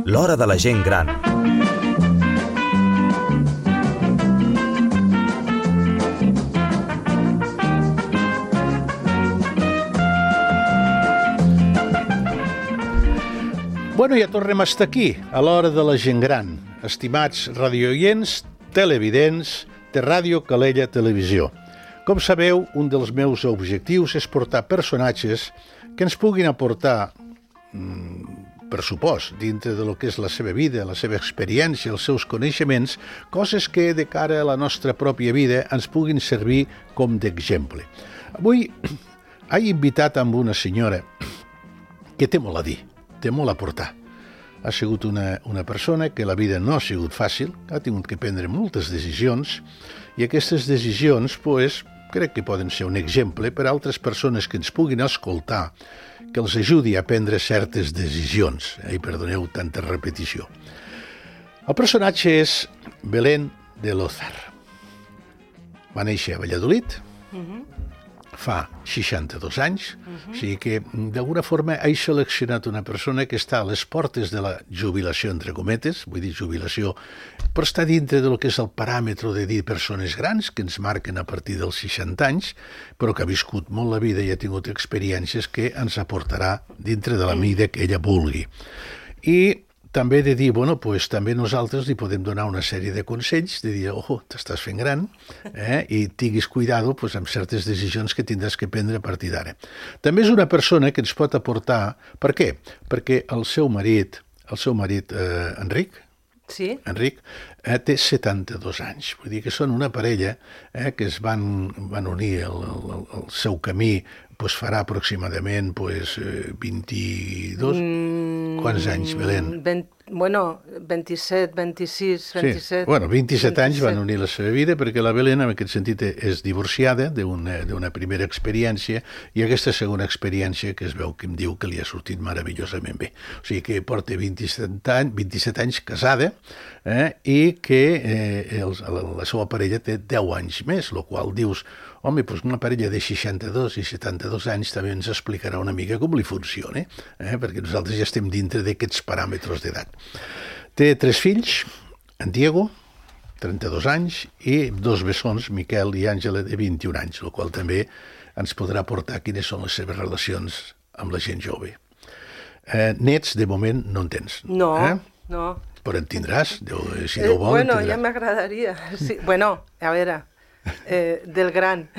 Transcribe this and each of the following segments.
L'hora de la gent gran. Bueno, ja tornem a estar aquí, a l'hora de la gent gran. Estimats radioients, televidents de Ràdio Calella Televisió. Com sabeu, un dels meus objectius és portar personatges que ens puguin aportar, per supost, dintre de lo que és la seva vida, la seva experiència, els seus coneixements, coses que de cara a la nostra pròpia vida ens puguin servir com d'exemple. Avui he invitat amb una senyora que té molt a dir, té molt a portar. Ha sigut una persona que la vida no ha sigut fàcil, ha tingut que prendre moltes decisions, i aquestes decisions, crec que poden ser un exemple per a altres persones que ens puguin escoltar, que els ajudi a prendre certes decisions. I perdoneu tanta repetició. El personatge és Belén de Lózar. Va néixer a Valladolid, fa 62 anys, o sigui que d'alguna forma he seleccionat una persona que està a les portes de la jubilació, entre cometes, vull dir jubilació, però està dintre del que és el paràmetre de dir persones grans, que ens marquen a partir dels 60 anys, però que ha viscut molt la vida i ha tingut experiències que ens aportarà dintre de la mida que ella vulgui. I també de dir, també nosaltres li podem donar una sèrie de consells, de dir, t'estàs fent gran, i tinguis cuidado amb certes decisions que tindràs que prendre a partir d'ara. També és una persona que ens pot aportar... Per què? Perquè el seu marit, Enric, té 72 anys. Vull dir que són una parella que es van unir el seu camí, farà aproximadament 22... Quants anys, Belén? 27, 26, 27... 27 anys van unir la seva vida, perquè la Belén, en aquest sentit, és divorciada d'una primera experiència, i aquesta segona experiència que es veu que em diu que li ha sortit meravellosament bé. O sigui que porta 27 anys casada, i que la seva parella té 10 anys més, el qual dius, una parella de 62 i 72 anys també ens explicarà una mica com li funciona, perquè nosaltres ja estem dintre d'aquests paràmetres d'edat. Té 3 fills, en Diego, 32 anys, i 2 bessons, Miquel i Àngela, de 21 anys, el qual també ens podrà aportar quines són les seves relacions amb la gent jove. Nets, de moment, no en tens. No. Però en tindràs, si Déu vol, en tindràs. Ja m'agradaria. Sí. A veure... del gran,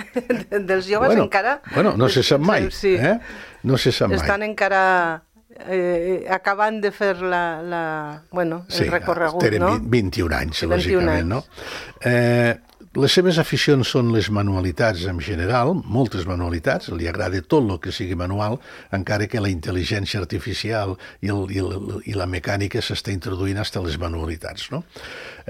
dels joves encara... no se sap mai, no se sap mai. Estan encara acabant de fer el recorregut, no? Sí, 21 anys, lògicament, no? Les seves aficions són les manualitats en general, moltes manualitats, li agrada tot el que sigui manual, encara que la intel·ligència artificial i la mecànica s'està introduint fins a les manualitats, no?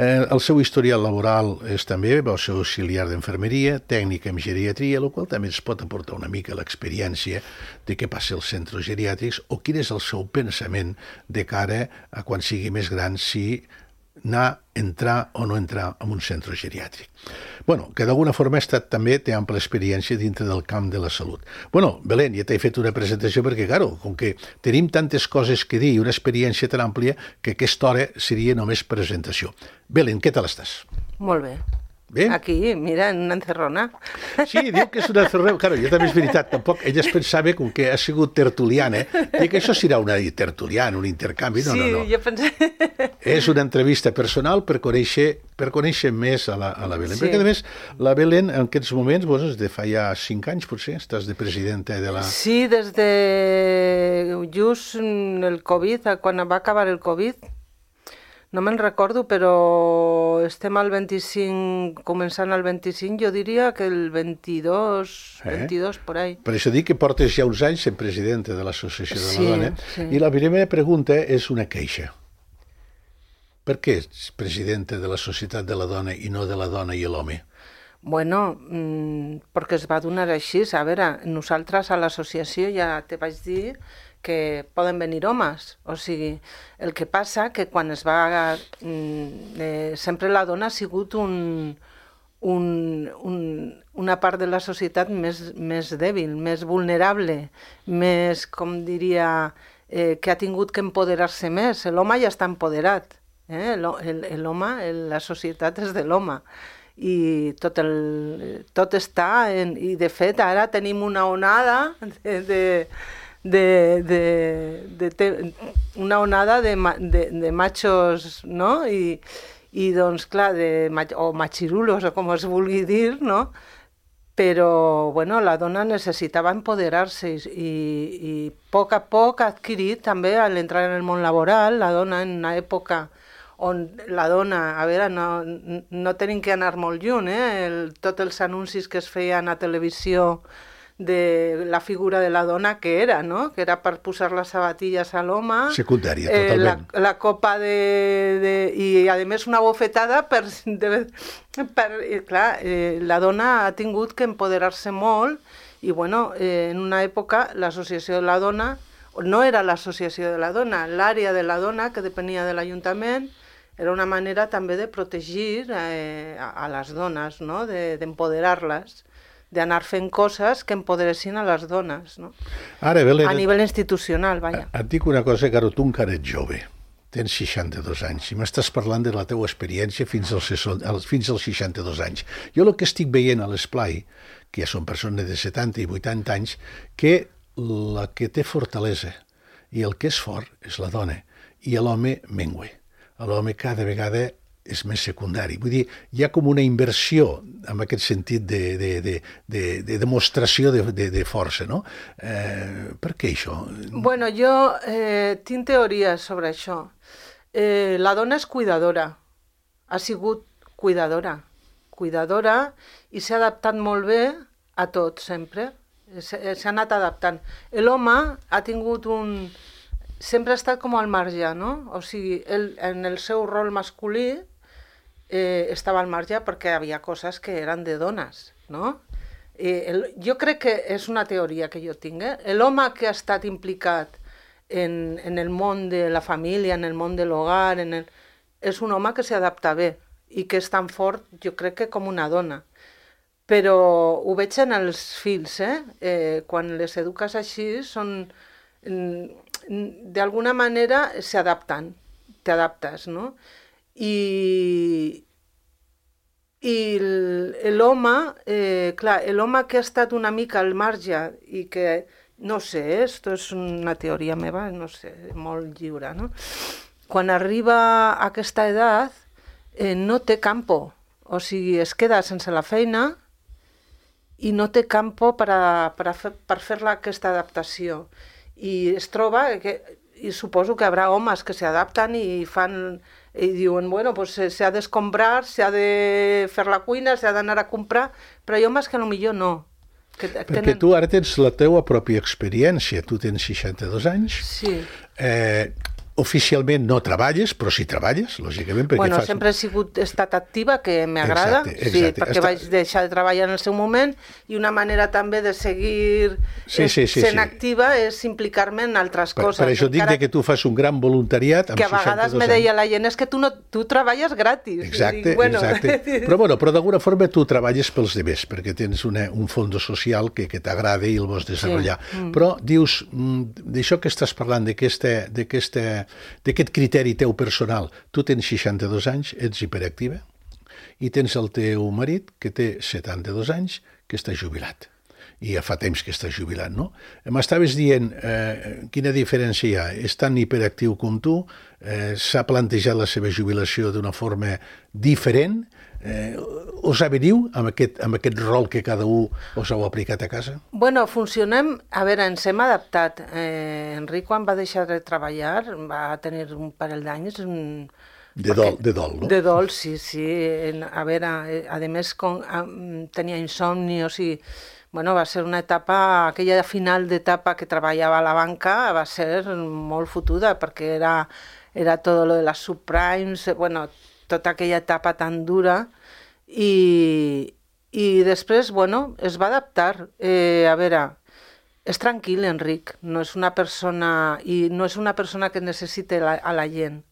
El seu historial laboral és també, va ser auxiliar d'infermeria, tècnic en geriatria, el qual també ens pot aportar una mica l'experiència de què passa als centres geriàtrics o quin és el seu pensament de cara a quan sigui més gran, si entrar o no entrar en un centre geriàtric. Que d'alguna forma també té ampla experiència dintre del camp de la salut. Belén, ja t'he fet una presentació perquè, com que tenim tantes coses que dir i una experiència tan àmplia, que aquesta hora seria només presentació. Belén, què tal estàs? Molt bé. Bé? Aquí, mira, en una encerrona. Sí, diu que és una encerrona. Claro, jo també és veritat, tampoc ella es pensava com que ha sigut tertuliana, i que això serà una tertuliana, un intercanvi. No. Sí, jo pensava... És una entrevista personal per conèixer més a la Belén. Sí. Perquè, a més, la Belén, en aquests moments, des de fa ja 5 anys, potser, estàs de presidenta de la... Sí, des de just el Covid, quan va acabar el Covid. No me'n recordo, però estem al 25, començant al 25, jo diria que el 22 por ahí. Per això dic que portes ja uns anys sent presidenta de l'Associació de la Dona, i la primera pregunta és una queixa. Per què ets presidenta de la Societat de la Dona i no de la dona i l'home? Perquè es va donar així. A veure, nosaltres a l'associació ja te vaig dir que poden venir homes, o sigui, el que passa que quan es va... sempre la dona ha sigut un una part de la societat més dèbil, més vulnerable, més, com diria, que ha tingut que empoderar-se més. L'home ja està empoderat. L'home, la societat és de l'home. I tot està... I, de fet, ara tenim una onada una onada de machos, no? I doncs, clar, o machirulos, o com es vulgui dir, no? Però, bueno, la dona necessitava empoderar-se i a poc ha adquirit també, a l'entrar en el món laboral, la dona en una època on la dona, a veure, no tenim que anar molt lluny, tots els anuncis que es feien a televisió de la figura de la dona que era, no? Que era per posar les sabatilles a l'home. Secundària, totalment. La copa i, a més, una bofetada clar, la dona ha tingut que empoderar-se molt i, bueno, en una època l'associació de la dona, no era l'associació de la dona, l'àrea de la dona, que depenia de l'Ajuntament, era una manera també de protegir a les dones, no? D'empoderar-les, d'anar fent coses que empoderessin a les dones, no? Ara, Belén, a nivell institucional, vaja. Et dic una cosa, que ara tu encara ets jove, tens 62 anys, i m'estàs parlant de la teua experiència fins als 62 anys. Jo el que estic veient a l'esplai, que ja són persones de 70 i 80 anys, que la que té fortalesa i el que és fort és la dona, i l'home mengua. L'home cada vegada és més secundari. Vull dir, hi ha com una inversió en aquest sentit de demostració de força, no? Per què això? Bueno, jo tinc teories sobre això. La dona és cuidadora, ha sigut cuidadora i s'ha adaptat molt bé a tot, sempre. S'ha anat adaptant. L'home ha tingut sempre ha estat com al marge, no? O sigui, en el seu rol masculí estava al marge perquè hi havia coses que eren de dones, no? Jo crec que és una teoria que jo tinc. L'home que ha estat implicat en el món de la família, en el món de l'hogar, és un home que s'adapta bé i que és tan fort, jo crec que com una dona. Però ho veig en els fills, quan les eduques així, d'alguna manera s'adapten, t'adaptes, no? I l'home, clar, l'home que ha estat una mica al marge i que, no sé, esto és una teoria meva, no sé, molt lliure, no? Quan arriba a aquesta edat, no té campo, o sigui, es queda sense la feina i no té campo per fer aquesta adaptació. I es troba i suposo que hi haurà homes que s'adapten i diuen, bueno, pues s'ha d'escombrar, s'ha de fer la cuina, s'ha d'anar a comprar, però hi ha homes que potser no. Perquè tu ara tens la teua pròpia experiència, tu tens 62 anys, sí. Oficialment no treballes, però sí treballes, lògicament. Bueno, sempre he estat activa, que m'agrada, exacte. Sí, perquè vaig deixar de treballar en el seu moment i una manera també de seguir sent activa és implicar-me en altres coses. Per això dic que tu fas un gran voluntariat amb 62 anys. Que a vegades me deia la gent, és que tu treballes gratis. Exacte, exacte. Però d'alguna forma tu treballes pels demés, perquè tens un fons social que t'agrada i el vols desenvolupar. Però dius, d'això que estàs parlant, d'aquest criteri teu personal, tu tens 62 anys, ets hiperactiva, i tens el teu marit, que té 72 anys, que està jubilat. I ja fa temps que està jubilat, no? M'estaves dient quina diferència hi ha. És tan hiperactiu com tu, s'ha plantejat la seva jubilació d'una forma diferent, us aveniu amb aquest rol que cada un us heu aplicat a casa? Bueno, funcionem... A veure, ens hem adaptat. Enric, quan va deixar de treballar, va tenir un parell d'anys... De dol, no? De dol, sí. A veure, a més, tenia insomni, o sigui... Bueno, va ser una etapa, aquella final d'etapa que treballava a la banca, va ser molt fotuda, perquè era tot lo de les subprimes, bueno, tota aquella etapa tan dura, i després, bueno, es va adaptar. A veure, és tranquil, Enric, no és una persona que necessite a la gent.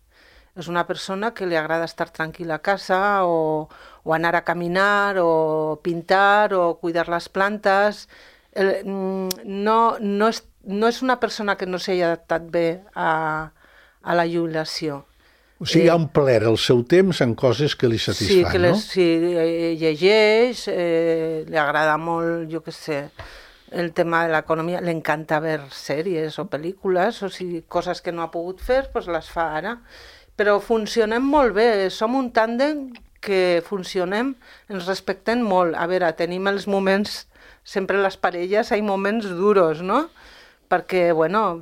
És una persona que li agrada estar tranquil·la a casa o anar a caminar o pintar o cuidar les plantes. No és una persona que no s'hagi adaptat bé a la jubilació. O sigui, ha omplert el seu temps en coses que li satisfan, no? Sí, llegeix, li agrada molt, jo què sé, el tema de l'economia, li encanta veure sèries o pel·lícules, o sigui, coses que no ha pogut fer, doncs les fa ara. Però funcionem molt bé, som un tàndem que funcionem, ens respectem molt. A veure, tenim els moments, sempre les parelles, hi ha moments duros, no? Perquè, bueno,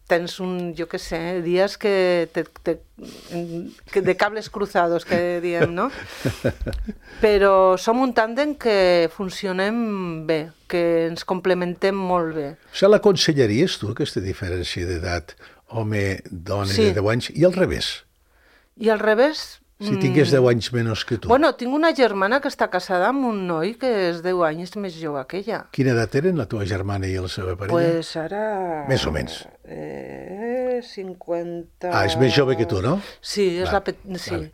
tens jo què sé, dies que de cables cruzados, que diem, no? Però som un tàndem que funcionem bé, que ens complementem molt bé. O sigui, l'aconsellaries tu, aquesta diferència d'edat, home-dona de 10 anys, i al revés? I al revés? Si tingués 10 anys menys que tu. Bueno, tinc una germana que està casada amb un noi que és 10 anys més jove que ella. Quina edat eren la teva germana i la seva parella? Pues ara... Més o menys. 50... Ah, és més jove que tu, no? Sí, és sí. Vale.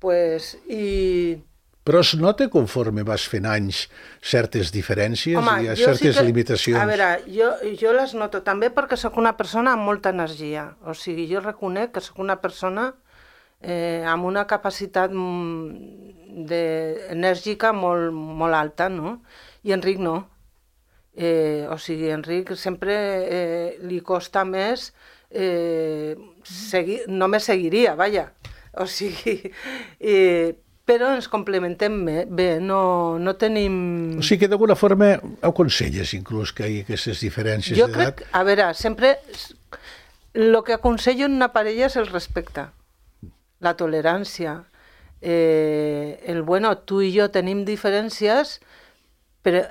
Pues, i... Però es nota conforme vas fent anys certes diferències, home, i certes limitacions? A veure, jo les noto també perquè sóc una persona amb molta energia. O sigui, jo reconec que sóc una persona amb una capacitat enèrgica molt alta, no? I Enric no. O sigui, Enric sempre li costa més no me seguiria, vaja. O sigui, però ens complementem bé, no tenim... O sigui que d'alguna forma aconselles inclús que hi ha aquestes diferències d'edat? Jo crec, a veure, sempre el que aconsello en una parella és el respecte, la tolerància. Bueno, tu i jo tenim diferències, però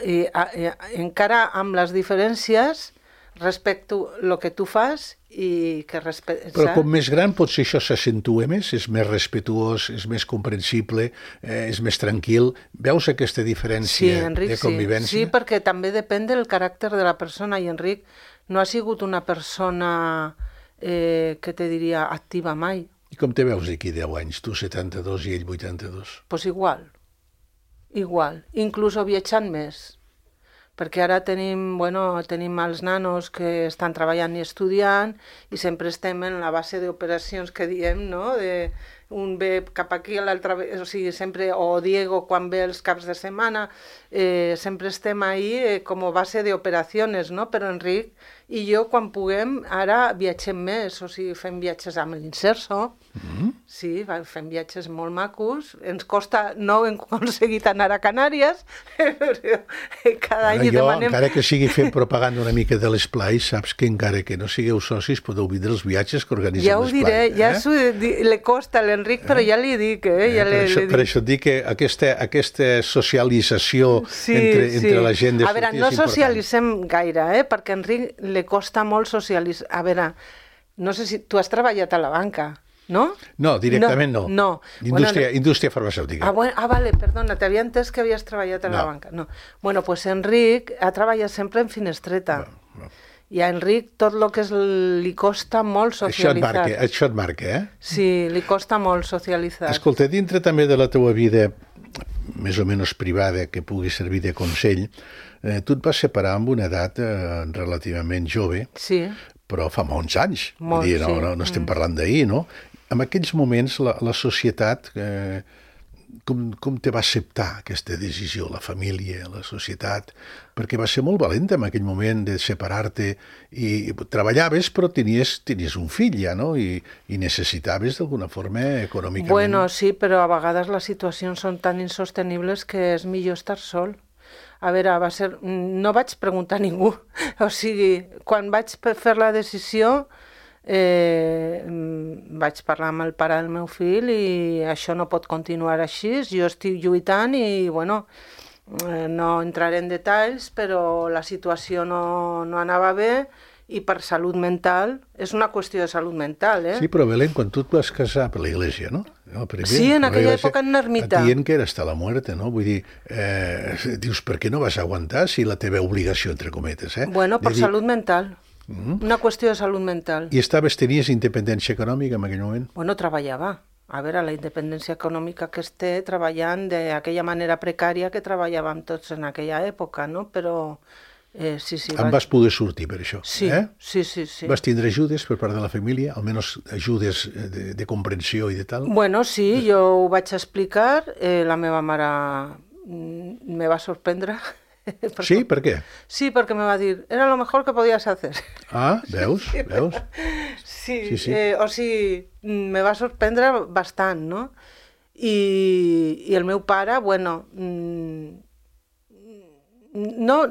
encara amb les diferències respecto el que tu fas i que respectes. Però com més gran potser això s'accentua més, és més respetuós, és més comprensible, és més tranquil. Veus aquesta diferència de convivència? Sí, perquè també depèn del caràcter de la persona, i Enric no ha sigut una persona que te diria activa mai. I com te veus d'aquí 10 anys? Tu 72 i ell 82. Pues igual, inclús viatjant més. Perquè ara tenim els nanos que estan treballant i estudiant i sempre estem en la base d'operacions que diem, no? Un ve cap aquí, l'altre ve... O sigui, sempre... O Diego, quan ve els caps de setmana, sempre estem ahí com a base d'operacions, no? Però Enric i jo, quan puguem, ara viatgem més. O sigui, fem viatges amb l'Inserso. Sí, fem viatges molt macos. Ens costa, no hem aconseguit anar a Canàries, però cada any demanem... Encara que sigui fent propaganda una mica de l'esplai, saps que encara que no sigueu socis podeu vindre els viatges que organitzem l'esplai. Ja ho diré, ja li costa a l'Enric, però ja li dic. Per això et dic que aquesta socialització entre la gent de sortir és important. A veure, no socialitzem gaire, perquè a Enric li costa molt socialitzar. A veure, no sé si tu has treballat a la banca, no? No, directament no. Indústria farmacèutica. Vale, perdona, t'havia entès que havies treballat a la banca. No. Bueno, pues Enric ha treballat sempre en finestreta. I a Enric tot el que li costa molt socialitzar. Això et marca, eh? Sí, li costa molt socialitzar. Escolta, dintre també de la teua vida més o menys privada, que pugui servir de consell, tu et vas separar amb una edat relativament jove, però fa molts anys. No estem parlant d'ahir, no? En aquells moments la societat... Com te va acceptar aquesta decisió, la família, la societat? Perquè va ser molt valenta en aquell moment de separar-te i treballaves, però tenies un fill ja, no? I necessitaves d'alguna forma econòmicament... Bueno, sí, però a vegades les situacions són tan insostenibles que és millor estar sol. A veure, no vaig preguntar a ningú. O sigui, quan vaig fer la decisió... vaig parlar amb el pare del meu fill i això no pot continuar així, jo estic lluitant i no entraré en detalls, però la situació no anava bé i per salut mental, és una qüestió de salut mental, Sí, però Belén, quan tu et vas casar per l'Església, no? Sí, en aquella època en ermita. Et dient que era hasta la muerte, no? Vull dir, dius, per què no vas aguantar si la teva obligació, entre cometes, Bueno, per salut mental. Una qüestió de salut mental. I tenies independència econòmica en aquell moment? Bueno, treballava. A veure, la independència econòmica que es té treballant d'aquella manera precària que treballàvem tots en aquella època, no? Però sí. Vas poder sortir per això, sí, eh? Sí. Vas tindre ajudes per part de la família? Almenys ajudes de comprensió i de tal? Bueno, sí, jo ho vaig explicar. La meva mare me va sorprendre. Sí? Per què? Sí, perquè me va dir, era lo mejor que podías hacer. Ah, veus? Sí. O sigui, me va sorprendre bastant, no? I el meu pare, bueno, no,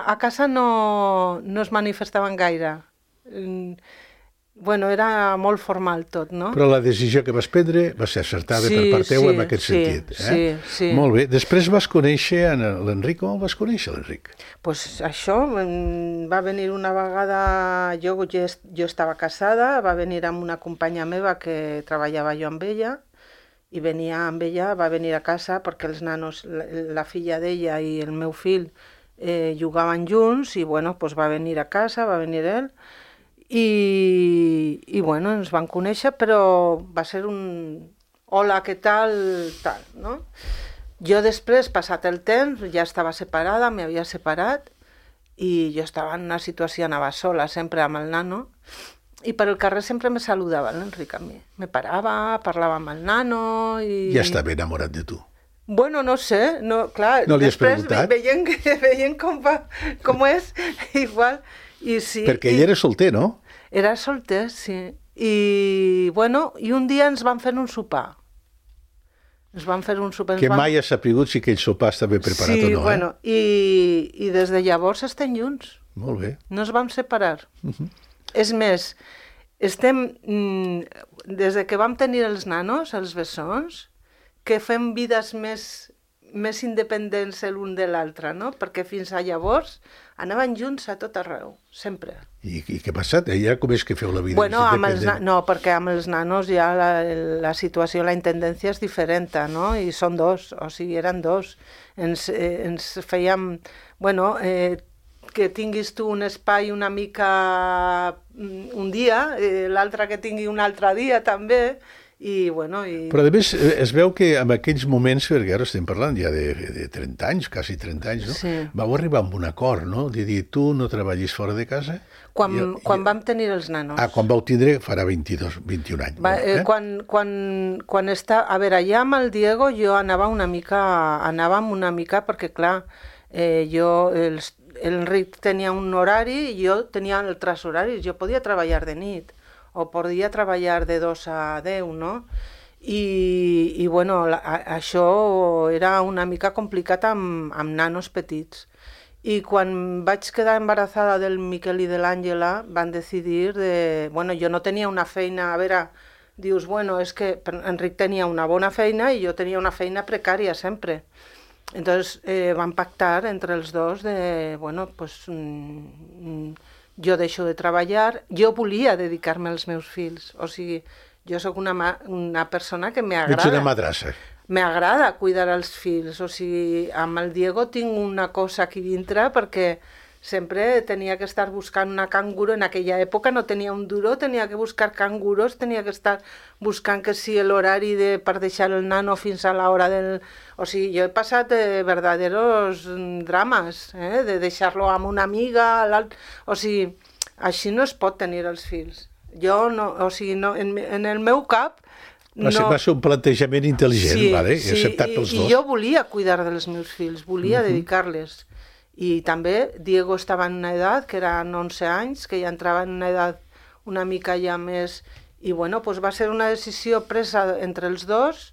a casa no es manifestaven gaire. Bueno, era molt formal tot, no? Però la decisió que vas prendre va ser acertada per part teva en aquest sentit. Sí. Molt bé. Després vas conèixer l'Enric. Com vas conèixer l'Enric? Pues això, va venir una vegada, jo estava casada, va venir amb una companya meva que treballava jo amb ella, i venia amb ella, va venir a casa perquè els nanos, la filla d'ella i el meu fill jugaven junts, i bueno, pues va venir a casa, va venir ell, i bueno, ens van conèixer, però va ser un hola, què tal, no? Jo després, passat el temps, ja estava separada, m'havia separat, i jo estava en una situació, anava sola, sempre amb el nano, i per el carrer sempre me saludava l'Enric a mi. Me parava, parlava amb el nano i... Ja estava enamorat de tu. Bueno, no sé, clar, no li has preguntat? Veient com és, igual... I sí, perquè ell era solter, no? Era solter, sí. I, bueno, i un dia ens van fer un sopar. Que mai has sapigut si aquell sopar estava preparat o no, Sí, bueno, i des de llavors estem junts. Molt bé. No ens vam separar. És més, des de que vam tenir els nanos, els bessons, que fem vides més independents l'un de l'altre, no? Perquè fins a llavors anaven junts a tot arreu, sempre. I què ha passat? Ja com és que feu la vida independent? No, perquè amb els nanos ja la situació, la intendència és diferent, no? I són dos, o sigui, eren dos. Ens fèiem... Bueno, que tinguis tu un espai una mica un dia, l'altre que tingui un altre dia també, i bueno... Però a més es veu que en aquells moments, perquè ara estem parlant ja de 30 anys, quasi 30 anys, no? Sí. Vau arribar amb un acord, no? De dir, tu no treballis fora de casa... Quan vam tenir els nanos. Quan vau tindre farà 21 anys. Quan està... A veure, ja amb el Diego jo anàvem una mica perquè, clar, l'Enric tenia un horari i jo tenia altres horaris. Jo podia treballar de nit o podia treballar de 2 a 10, no? I bueno, això era una mica complicat amb nanos petits. I quan vaig quedar embarassada del Miquel i de l'Àngela van decidir Bueno, jo no tenia una feina... A veure, dius, bueno, és que Enric tenia una bona feina i jo tenia una feina precària sempre. Entonces van pactar entre els dos bueno, pues... jo deixo de treballar, jo volia dedicar-me als meus fills, o sigui, jo sóc una persona que m'agrada. Ets una madrassa. M'agrada cuidar els fills, o sigui, amb el Diego tinc una cosa aquí dintre perquè sempre tenia que estar buscant una canguro, en aquella època no tenia un duro, tenia que buscar canguros, tenia que estar buscant que si l'horari per deixar el nano fins a l'hora del... O sigui, jo he passat verdaderos drames, de deixar-lo amb una amiga, o sigui, així no es pot tenir els fills. Jo no, o sigui, no, en el meu cap... Va ser un plantejament intel·ligent, sí, vale? Sí, acceptat pels dos. I jo volia cuidar dels meus fills, volia dedicar-les. I també Diego estava en una edat, que eren 11 anys, que ja entrava en una edat una mica ja més... I bueno, pues va ser una decisió presa entre els dos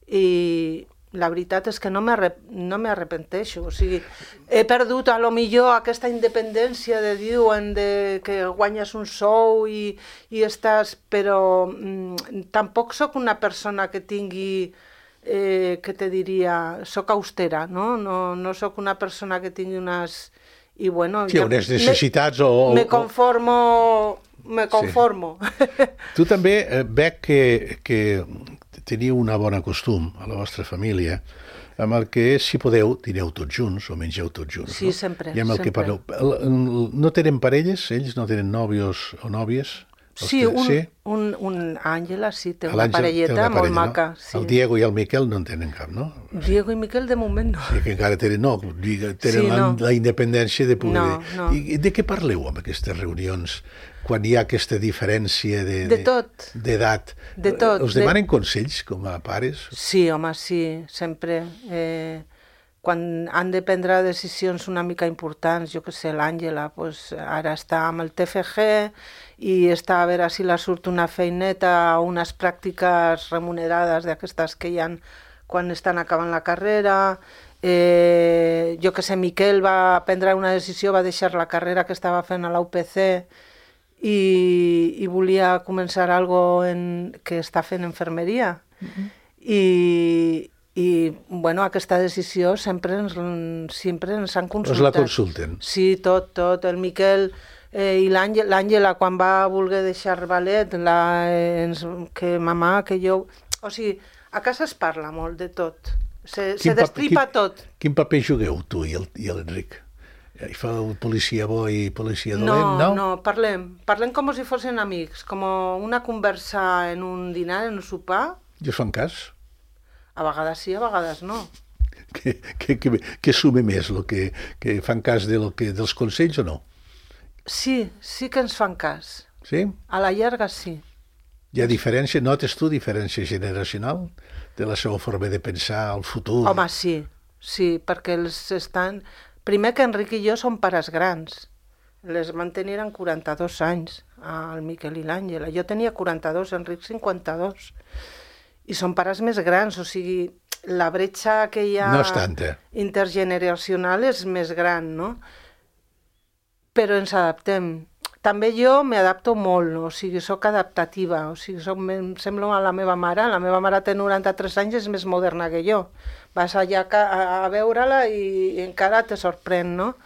i la veritat és que no m'arrepenteixo. O sigui, he perdut a lo millor aquesta independència de diuen que guanyes un sou i estàs... Però tampoc sóc una persona que tingui... que te diria, soc austera, no? No sóc una persona que tingui unes... I bueno... Sí, unes necessitats o... Me conformo... Sí. Tu també veig que teniu una bona costum a la vostra família amb el que, si podeu, dineu tots junts o mengeu tots junts. Sí, no? sempre. I amb el que sempre. parleu. No tenen parelles? Ells no tenen nòvios o nòvies? Sí, Àngela sí, té una L'Àngel té parelleta una molt parella, maca. no? Sí. El Diego i el Miquel no en tenen cap, no? Diego i Miquel de moment no. I que encara tenen, Sí, no. la independència de poder... No. I de què parleu amb aquestes reunions quan hi ha aquesta diferència De tot. d'edat? De tot. Us demanen consells com a pares? Sí, home, sí, sempre. Quan han de prendre decisions una mica importants, jo que sé, l'Àngela, pues, ara està amb el TFG i està a veure si la surt una feineta o unes pràctiques remunerades d'aquestes que hi ha quan estan acabant la carrera. Jo que sé, Miquel va prendre una decisió, va deixar la carrera que estava fent a la UPC i volia començar algo que està fent infermeria. I bueno, aquesta decisió sempre ens han consultat. Us la consulten? Sí, tot. El Miquel i l'Àngela, quan va voler deixar ballet, que mamà, que jo... O sigui, a casa es parla molt de tot. Se destripa tot. Quin paper jugueu, tu i l'Enric? Hi fa un policia bo i policia dolent, no? No, parlem com si fossin amics, com una conversa en un dinar, en un sopar. I us fan cas? A vegades sí, a vegades no. Que sume més, que fan cas dels consells o no? Sí que ens fan cas. Sí? A la llarga sí. Hi ha diferència, notes tu diferència generacional de la seva forma de pensar al futur? Home, sí, perquè Primer que Enric i jo som pares grans. Les van tenir en 42 anys, el Miquel i l'Àngela. Jo tenia 42, Enric 52. I són pares més grans, o sigui, la bretxa que hi ha no és tanta. Intergeneracional és més gran, no? Però ens adaptem. També jo m'adapto molt, o sigui, sóc adaptativa, o sigui, em sembla a la meva mare té 93 anys i és més moderna que jo. Vas allà a veure-la i encara te sorprèn, no?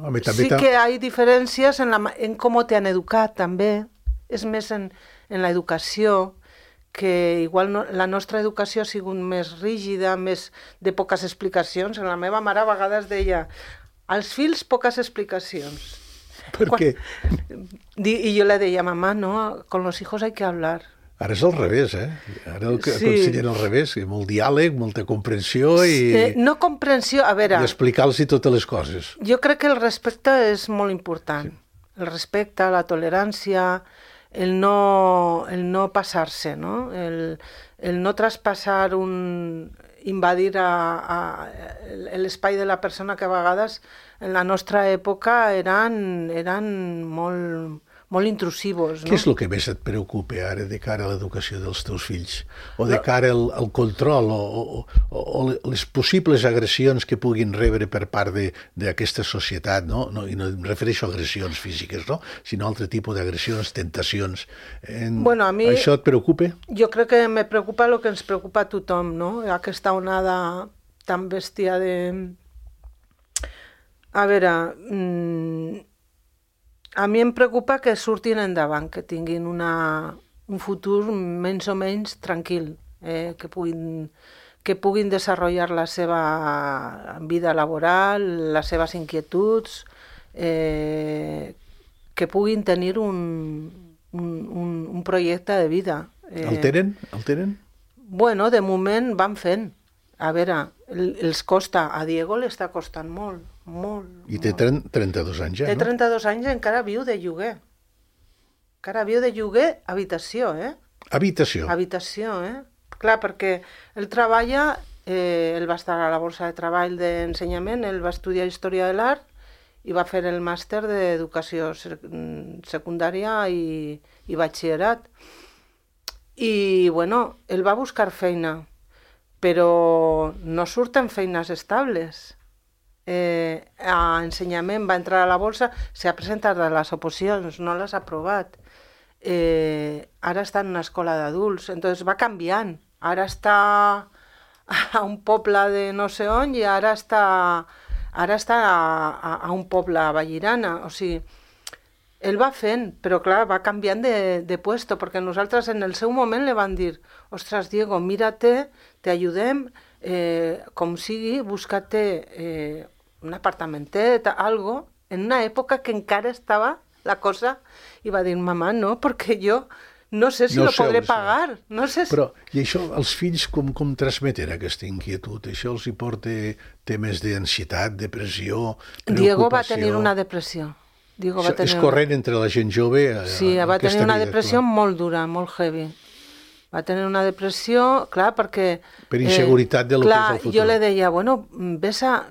Home, sí que hi ha diferències en com te han educat, també. És més en l'educació, que igual la nostra educació ha sigut més rígida, més de poques explicacions. La meva mare a vegades deia, als fills poques explicacions. Per què? I jo le deia, mamá, no, con los hijos hay que hablar. Ara és al revés, Ara aconsellen al revés, molt diàleg, molta comprensió i... No comprensió, a veure... I explicar-los totes les coses. Jo crec que el respecte és molt important. Sí. El respecte, la tolerància, el no passar-se, no? El no traspassar invadir l'espai de la persona que a vegades en la nostra època eren molt intrusivos. Què és el que més et preocupa ara de cara a l'educació dels teus fills? O de cara al control o les possibles agressions que puguin rebre per part d'aquesta societat, no? I no em refereixo a agressions físiques, no? Sinó altre tipus d'agressions, tentacions. Bueno, a mi... Això et preocupa? Jo crec que me preocupa el que ens preocupa a tothom, no? Aquesta onada tan bèstia de... A veure... A mi em preocupa que surtin endavant, que tinguin un futur menys o menys tranquil, que puguin desenvolupar la seva vida laboral, les seves inquietuds, que puguin tenir un projecte de vida. El tenen? Bueno, de moment van fent. A veure, els costa, a Diego li està costant molt. I té 32 anys ja, no? Té 32 anys i encara viu de lloguer. Habitació, Habitació? Habitació, Clar, perquè ell treballa, ell va estar a la borsa de treball d'ensenyament, ell va estudiar Història de l'Art i va fer el màster d'Educació Secundària i Batxillerat. I, bueno, ell va buscar feina, però no surten feines estables. A ensenyament va entrar a la borsa, s'ha presentat a les oposicions, no les ha aprovat. Ara està en una escola d'adults, entonces va canviant. Ara està a un poble de no sé on i ara està a un poble a Vallirana. O sigui, ell va fent, però clar, va canviant de puesto, perquè nosaltres en el seu moment li van dir, ostres, Diego, mírate, te ayudem, com sigui, busca-te un apartamentet, algo, en una època que encara estava la cosa, i va dir, mamà, no, perquè jo no sé si lo podré pagar. No sé si... Però, i això, els fills com transmeten aquesta inquietud? Això els hi porta temes d'ansietat, depressió, preocupació? Diego va tenir una depressió. És corrent entre la gent jove? Sí, va tenir una depressió molt dura, molt heavy. Va tenir una depressió, clar, perquè... Per inseguretat de lo que és el futur. Jo le deia, bueno, ves a...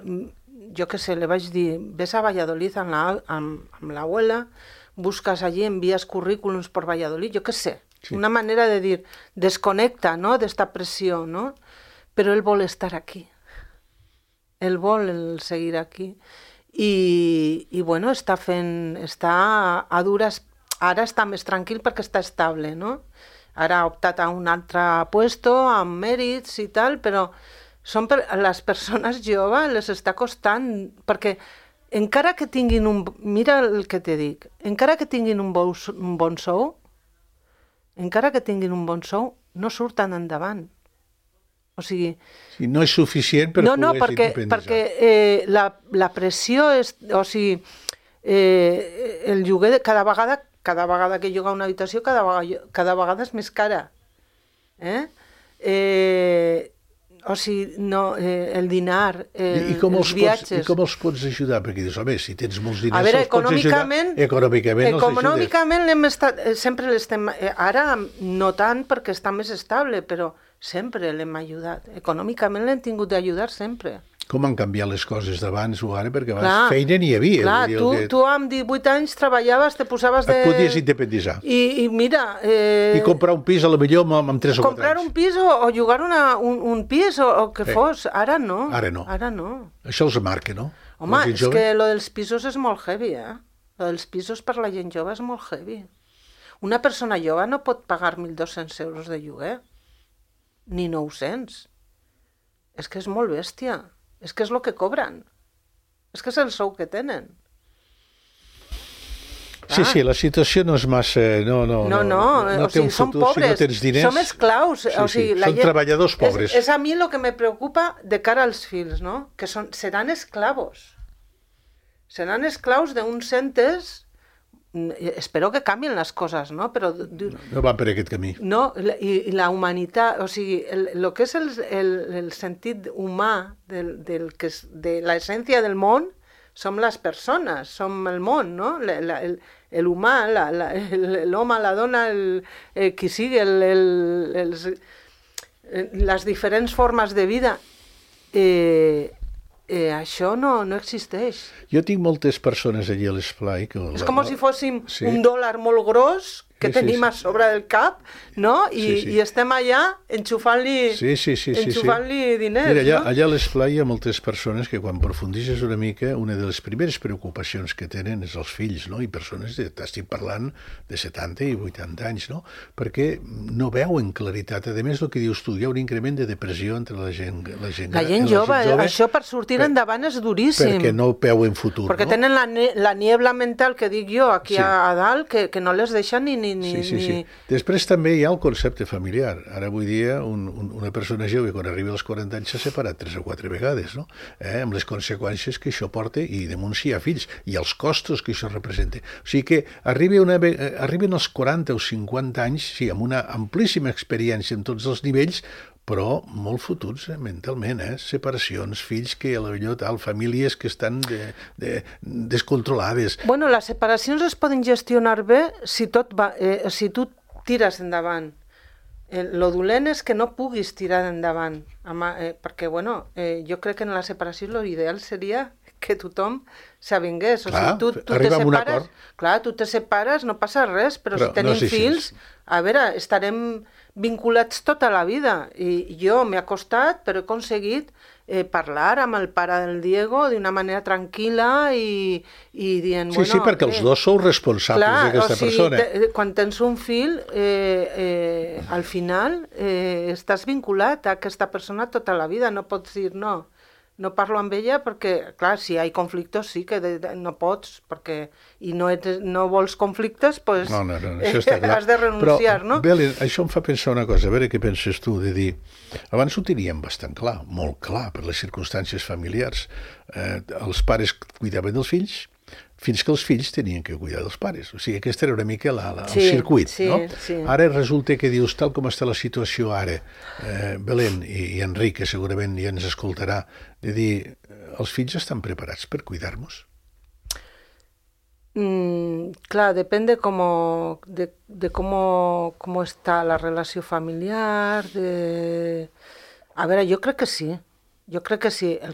Jo què sé, le vaig dir, ves a Valladolid amb l'abuela, buscas allí, envías currículums por Valladolid, jo què sé. Sí. Una manera de dir, desconecta, no?, d'esta pressió, no? Però ell vol estar aquí. Ell vol seguir aquí. I bueno, està a dures... Ara està més tranquil perquè està estable, no? Ara ha optat a un altre puesto, amb mèrits i tal, però les persones joves les està costant, perquè encara que tinguin mira el que te dic, encara que tinguin un bon sou, no surten endavant. O sigui... Sí, no és suficient per poder independitzar. No, perquè la pressió és... O sigui, el lloguer cada vegada que lloga una habitació, cada vegada és més cara. O sigui, no, el dinar, els viatges... I com els pots ajudar? Perquè dius, home, si tens molts diners, veure, els pots ajudar... Econòmicament sempre l'estem... Ara no tant perquè està més estable, però sempre l'hem ajudat. Econòmicament l'hem tingut d'ajudar sempre. Com han canviat les coses d'abans o ara? Perquè abans feina n'hi havia. Clar, tu amb 18 anys treballaves, te posaves de... Et podies independitzar. I mira... I comprar un pis, a lo millor, amb 3 o 4 anys. Comprar un pis o llogar un pis o que fos. Ara no. Ara no. Això els marca, no? Home, és que lo dels pisos és molt heavy, Lo dels pisos per la gent jove és molt heavy. Una persona jove no pot pagar 1.200 euros de lloguer. Ni 900. És que és molt bèstia. És que és el que cobren. És que és el sou que tenen. Sí, la situació no és massa... No té un futur si no tens diners. Som esclaus. Són treballadors pobres. És a mi el que me preocupa de cara als fills, no? Que seran esclavos. Seran esclaus d'uns entes... Espero que canvien les coses, no? Però... No van per aquest camí. No, i la humanitat, o sigui, el que és el sentit humà de l'essència del món, som les persones, som el món, no? L'humà, l'home, la dona, qui sigui, les diferents formes de vida. Això no existeix. Jo tinc moltes persones allí a l'esplai... És com si fóssim un dòlar molt gros que tenim a sobre del cap, no? I estem allà enxufant-li diners. Mira, allà a l'esplai hi ha moltes persones que quan profundixes una mica, una de les primeres preocupacions que tenen és els fills, no? I persones, estic parlant de 70 i 80 anys, no? Perquè no veuen claritat. A més, el que dius tu, hi ha un increment de depressió entre la gent jove. Això per sortir endavant és duríssim. Perquè no veuen futur, perquè tenen la niebla mental que dic jo aquí a dalt, que no les deixa ni... Sí. Després també hi ha el concepte familiar. Ara avui dia una persona jove quan arriba als 40 anys s'ha separat 3 o 4 vegades, no? Amb les conseqüències que això porta i damunt si hi ha fills i els costos que això representa. O sigui que arriben als 40 o 50 anys, sí, amb una amplíssima experiència en tots els nivells, però molt fotuts mentalment, separacions, fills que a la millor famílies que estan descontrolades. Bueno, les separacions es poden gestionar bé si tu tires endavant. Lo dolent és que no puguis tirar endavant, perquè, jo crec que en la separació l'ideal seria que tothom s'avingués. Clar, arriba a un acord. Clar, tu te separes, no passa res, però si tenim fills, a veure, estarem vinculats tota la vida. I jo m'he costat, però he aconseguit parlar amb el pare del Diego d'una manera tranquil·la i dient... Sí, perquè els dos sou responsables d'aquesta persona. Quan tens un fill, al final estàs vinculat a aquesta persona tota la vida, no pots dir no. no parlo amb ella perquè, clar, si hi ha conflictes sí que no pots, perquè i no vols conflictes, doncs no, això està clar. has de renunciar, no? Però, Belén, això em fa pensar una cosa, a veure què penses tu, de dir, abans ho teníem bastant clar, molt clar, per les circumstàncies familiars. Els pares cuidaven dels fills, fins que els fills tenien que cuidar dels pares. O sigui, aquest era una mica el circuit, no? Sí. Ara resulta que dius, tal com està la situació ara, Belén i Enric, que segurament ja ens escoltarà, de dir, els fills estan preparats per cuidar-nos? Clar, depèn de com està la relació familiar. A veure, jo crec que sí. El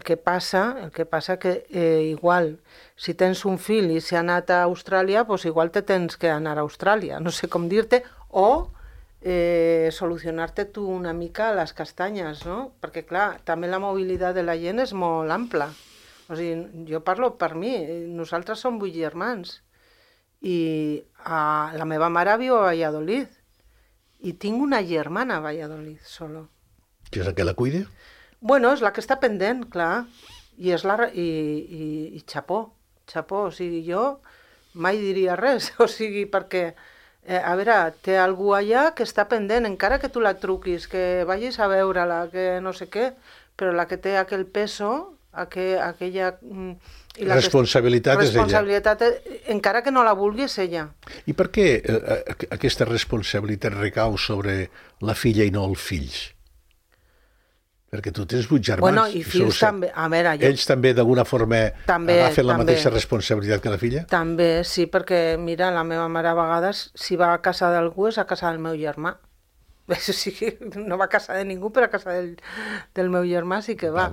que passa que igual, si tens un fill i s'ha anat a Austràlia, doncs igual te tens que anar a Austràlia, no sé com dir-te, o solucionar-te tu una mica les castanyes, no? Perquè, clar, també la mobilitat de la gent és molt ampla. O sigui, jo parlo per mi, nosaltres som 8 germans, i la meva mare viu a Valladolid, i tinc una germana a Valladolid, solo. Que és la que la cuida? Bueno, és la que està pendent, clar, i xapó, o sigui, jo mai diria res, o sigui, perquè, a veure, té algú allà que està pendent, encara que tu la truquis, que vagis a veure-la, que no sé què, però la que té aquell peso, aquella... Responsabilitat és ella. Encara que no la vulgui, és ella. I per què aquesta responsabilitat recau sobre la filla i no els fills? Perquè tu tens 8 germans. Bueno, i fills també. A veure, ells també, d'alguna forma, agafen la mateixa responsabilitat que la filla? També, sí, perquè, mira, la meva mare a vegades, si va a casa d'algú, és a casa del meu germà. O sigui, no va a casa de ningú, però a casa del meu germà sí que va.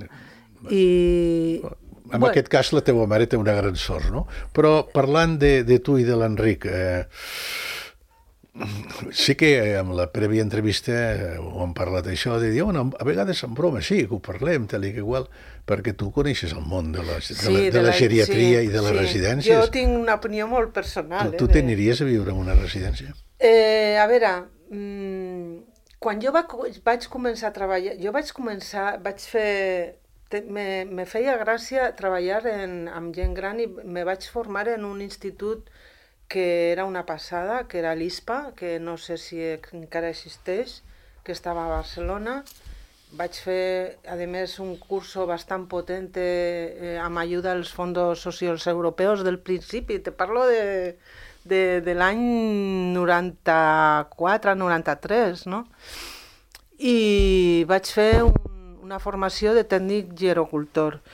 En aquest cas, la teva mare té una gran sort, no? Però parlant de tu i de l'Enric, sí que amb la prèvia entrevista ho hem parlat això, de dir, a vegades en broma sí que ho parlem, tal i que igual, perquè tu coneixes el món de la geriatria i de les residències. Jo tinc una opinió molt personal. Tu t'aniries a viure en una residència? A veure, quan jo vaig començar a treballar, me feia gràcia treballar amb gent gran i me vaig formar en un institut que era una passada, que era l'ISPA, que no sé si encara existeix, que estava a Barcelona. Vaig fer, a més, un curso bastant potent amb ajuda als fondos socials europeus del principi. Te parlo de l'any 94-93, no? I vaig fer una formació de tècnic gerocultor.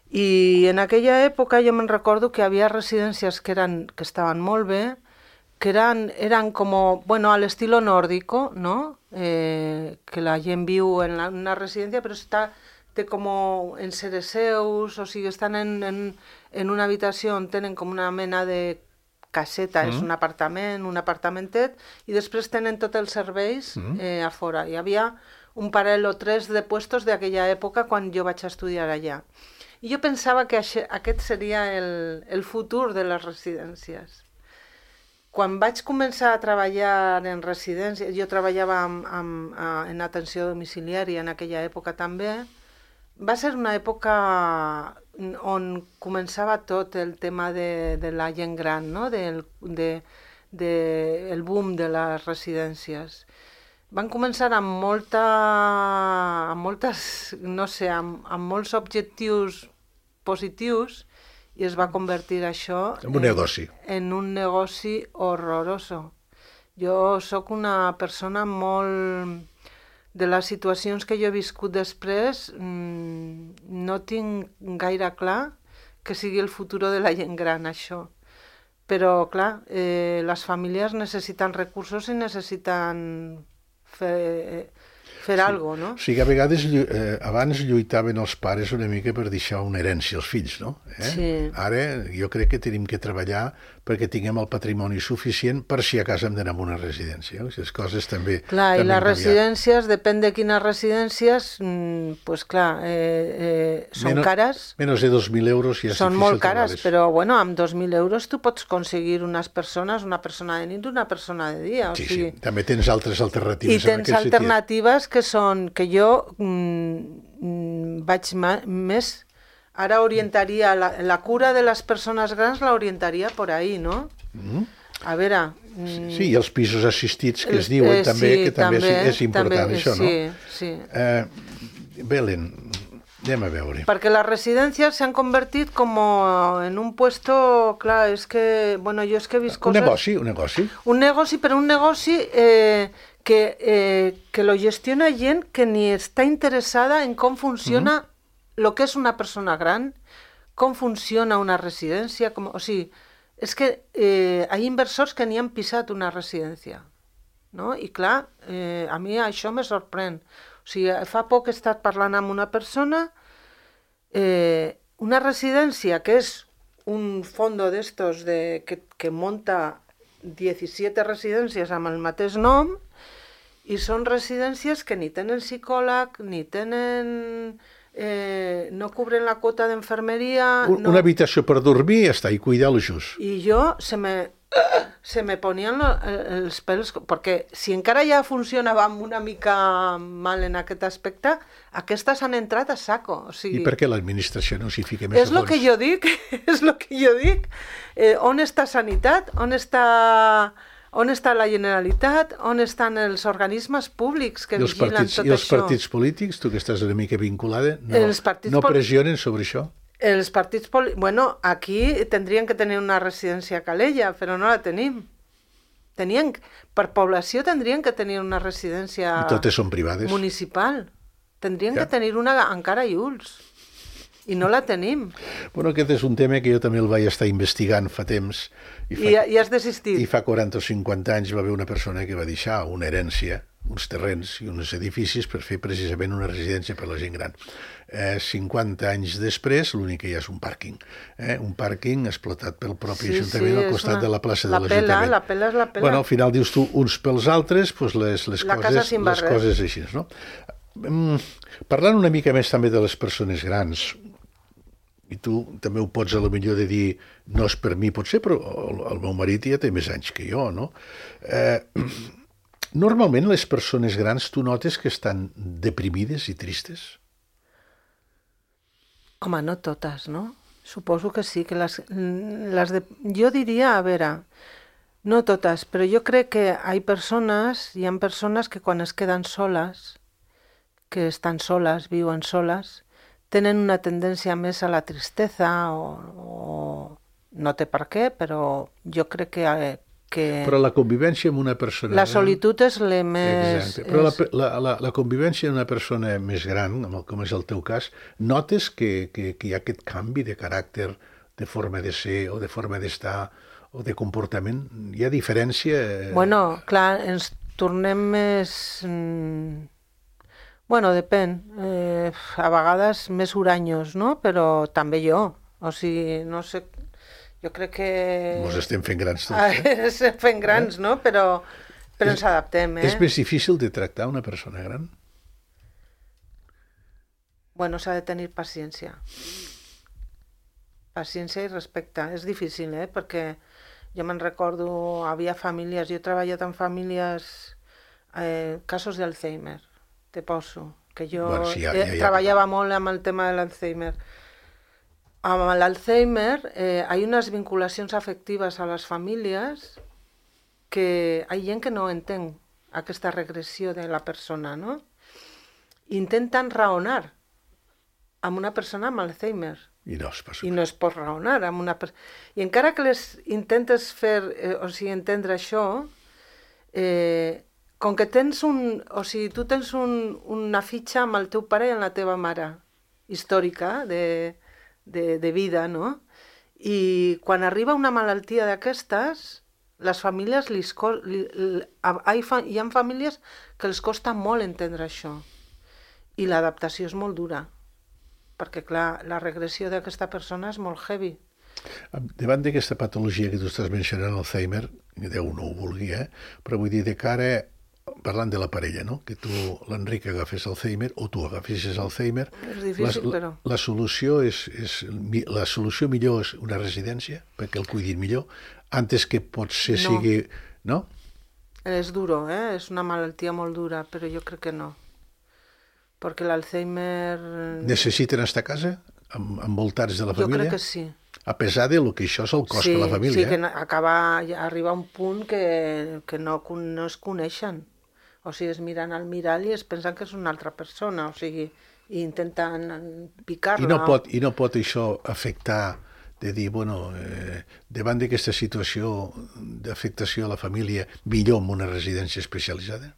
I en aquella època jo me'n recordo que hi havia residències que estaven molt bé, que eren com, bueno, a l'estilo nórdico, no? Que la gent viu en una residència, però té com en seus, o sigui, estan en una habitació on tenen com una mena de caseta, és un apartamentet, i després tenen tots els serveis a fora. Hi havia un parell o tres de puestos d'aquella època quan jo vaig estudiar allà. I jo pensava que aquest seria el futur de les residències. Quan vaig començar a treballar en residències, jo treballava en atenció domiciliària en aquella època també, va ser una època on començava tot el tema de la gent gran, no? El boom de les residències. Van començar amb molts objectius positius i es va convertir això en un negoci. En un negoci horroroso. Jo sóc una persona molt... De les situacions que jo he viscut després, no tinc gaire clar que sigui el futur de la gent gran, això. Però, clar, les famílies necessiten recursos i necessiten fer alguna cosa, no? O sigui, a vegades abans lluitaven els pares una mica per deixar una herència als fills, no? Sí. Ara jo crec que tenim que treballar perquè tinguem el patrimoni suficient per si a casa hem d'anar a una residència. Les coses també... Clar, i les residències, depèn de quines residències, doncs clar, són cares. Menys de 2.000 euros ja és difícil. Són molt cares, però bueno, amb 2.000 euros tu pots aconseguir unes persones, una persona de nit i una persona de dia. Sí, també tens altres alternatives. I tens alternatives que són, que jo vaig més Ara orientaria, la cura de les persones grans la orientaria por ahí, no? A veure... Sí, i els pisos assistits que es diuen també, que també és important això, no? Sí. Belén, anem a veure. Perquè les residències s'han convertit com en un puesto, clar, és que, bueno, jo és que he vist coses... Un negoci. Un negoci, però un negoci que lo gestiona gent que ni està interessada en com funciona lo que és una persona gran, com funciona una residència, o sigui, és que hi ha inversors que ni han pisat una residència, no? I clar, a mi això me sorprèn. O sigui, fa poc he estat parlant amb una persona, una residència que és un fondo d'estos que munta 17 residències amb el mateix nom, i són residències que ni tenen psicòleg, ni tenen... no cobren la quota d'enfermeria... Una habitació per dormir i està, i cuidar-lo just. I jo se me ponien els pèls, perquè si encara ja funcionava una mica mal en aquest aspecte, aquestes han entrat a saco. O sigui, I per què l'administració no s'hi fica més a fons? És el que jo dic, és el que jo dic. On està Sanitat? On està la Generalitat? On estan els organismes públics que vigilen tot això? I els partits polítics, tu que estàs una mica vinculada, no pressionen sobre això? Els partits polítics... Bueno, aquí tindrien que tenir una residència a Calella, però no la tenim. Per població tindrien que tenir una residència... I totes són privades. Municipal. Tindrien que tenir una encara a Iuls. I no la tenim. Bueno, aquest és un tema que jo també el vaig estar investigant fa temps. I has desistit. I fa 40 o 50 anys va haver una persona que va deixar una herència, uns terrenys i uns edificis per fer precisament una residència per a la gent gran. 50 anys després, l'únic que hi ha és un pàrquing. Un pàrquing explotat pel propi Ajuntament al costat de la plaça de l'Ajuntament. La pela és la pela. Bueno, al final dius tu, uns pels altres, doncs les coses així, no? Parlant una mica més també de les persones grans, i tu també ho pots a lo millor de dir, no és per mi potser, però el meu marit ja té més anys que jo, no? Normalment les persones grans tu notes que estan deprimides i tristes? Home, no totes, no? Suposo que sí, que jo diria, a veure, no totes, però jo crec que hi ha persones que quan es queden soles, que estan soles, viuen soles, tenen una tendència més a la tristesa o no té per què, però jo crec que... Però la convivència amb una persona... La solitud és la més... Exacte, però la convivència amb una persona més gran, com és el teu cas, notes que hi ha aquest canvi de caràcter, de forma de ser o de forma d'estar o de comportament? Hi ha diferència? Bueno, clar, ens tornem més... Bueno, depèn. A vegades més huranyos, no? Però també jo. O sigui, no sé... Jo crec que... Mos estem fent grans tots, Estem fent grans, no? Però ens adaptem, És més difícil de tractar una persona gran? Bueno, s'ha de tenir paciència. Paciència i respecte. És difícil, perquè jo me'n recordo, havia famílies, jo he treballat en famílies, casos d'Alzheimer, te poso, que jo treballava molt amb el tema de l'Alzheimer. Amb l'Alzheimer hi ha unes vinculacions afectives a les famílies que hi ha gent que no entén aquesta regressió de la persona, no? Intenten raonar amb una persona amb Alzheimer. I no es pot. I no es pot raonar amb una persona. I encara que les intentes fer, entendre això, com que tens tu tens una fitxa amb el teu pare i amb la teva mare, històrica, de vida, no? I quan arriba una malaltia d'aquestes, les famílies hi ha famílies que els costa molt entendre això. I l'adaptació és molt dura. Perquè, clar, la regressió d'aquesta persona és molt heavy. Davant d'aquesta patologia que tu estàs mencionant, Alzheimer, Déu no ho vulgui, però vull dir, de cara, parlant de la parella, no? Que tu, l'Enric, agafés Alzheimer o tu agafessis Alzheimer, és difícil, però... La solució millor és una residència, perquè el cuidin millor, antes que potser sigui... No? És duro, és una malaltia molt dura, però jo crec que no. Perquè l'Alzheimer... Necessiten estar a casa? envoltats de la Jo família? crec que sí. A pesar de lo que això és el cost Sí, per la família. sí, que arriba un punt que no es coneixen. O sigui, es miren al mirall i es pensen que és una altra persona, o sigui, i intenten picar-la. I no pot això afectar, de dir, bueno, davant d'aquesta situació d'afectació a la família, millor en una residència especialitzada?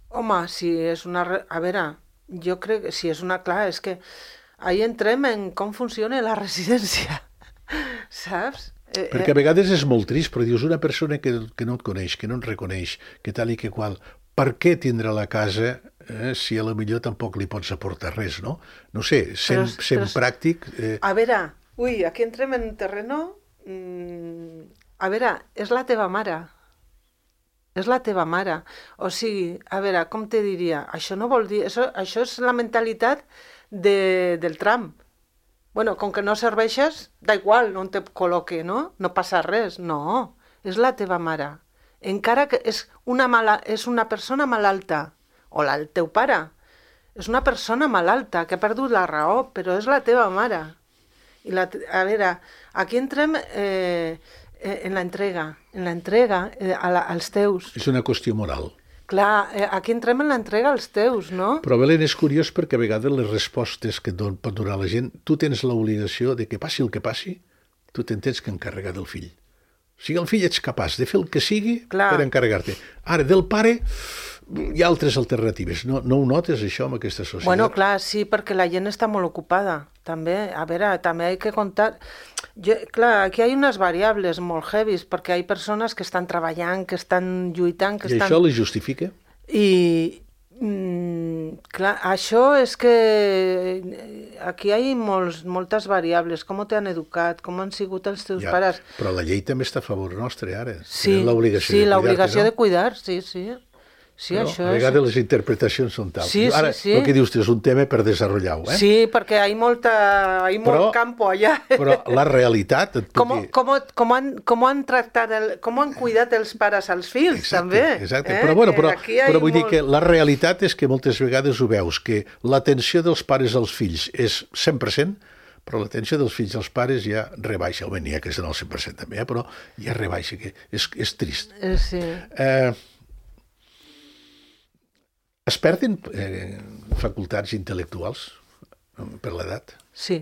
Home, si és una... A veure, jo crec que si és una... Clar, és que ahí entrem en com funciona la residència, saps? Perquè a vegades és molt trist, però dius, una persona que no et coneix, que no et reconeix, que tal i que qual, per què tindrà la casa si a lo millor tampoc li pots aportar res, no? No sé, sent pràctic... A veure, aquí entrem en terreno... A veure, és la teva mare. És la teva mare. O sigui, a veure, com te diria? Això no vol dir... Això és la mentalitat del Trump. Bueno, com que no serveixes, da igual on te col·loque, no? No passa res. No, és la teva mare. Encara que és una persona malalta, o el teu pare, és una persona malalta que ha perdut la raó, però és la teva mare. A veure, aquí entrem en l'entrega als teus. És una qüestió moral. Clar, aquí entrem en l'entrega als teus, no? Però, Belén, és curiós perquè a vegades les respostes que pot donar la gent, tu tens l'obligació de que passi el que passi, tu te'n tens que encarregar del fill. O sigui, el fill ets capaç de fer el que sigui per encarregar-te. Ara, del pare hi ha altres alternatives. No ho notes, això, amb aquesta societat? Bueno, clar, sí, perquè la gent està molt ocupada. També, a veure, també hay que contar... Clar, aquí hi ha unes variables molt heavies, perquè hi ha persones que estan treballant, que estan lluitant... I això les justifica? Clar, això és que aquí hi ha moltes variables, com t'han educat, com han sigut els teus pares... Però la llei també està a favor nostre, ara. Sí, l'obligació de cuidar, sí. Sí, però això a vegades les interpretacions són tals. Sí, ara, sí. El que dius és un tema per desenvolupar-ho, Sí, perquè hi ha molt campo allà. Però la realitat... Com han tractat, com han cuidat els pares als fills, també. Exacte, però vull dir que la realitat és que moltes vegades ho veus, que l'atenció dels pares als fills és 100%, però l'atenció dels fills als pares ja rebaixa, o bé n'hi ha que és en el 100% també, però ja rebaixa, que és trist. Sí. Es perden facultats intel·lectuals per l'edat? Sí.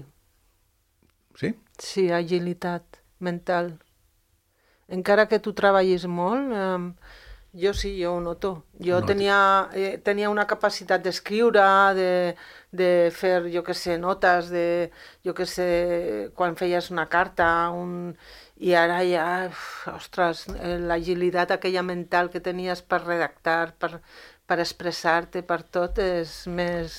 Sí? Sí, agilitat mental. Encara que tu treballis molt, jo ho noto. Jo tenia una capacitat d'escriure, de fer, jo què sé, notes, quan feies una carta, i ara ja, ostres, l'agilitat aquella mental que tenies per redactar, per expressar-te, per tot, és més...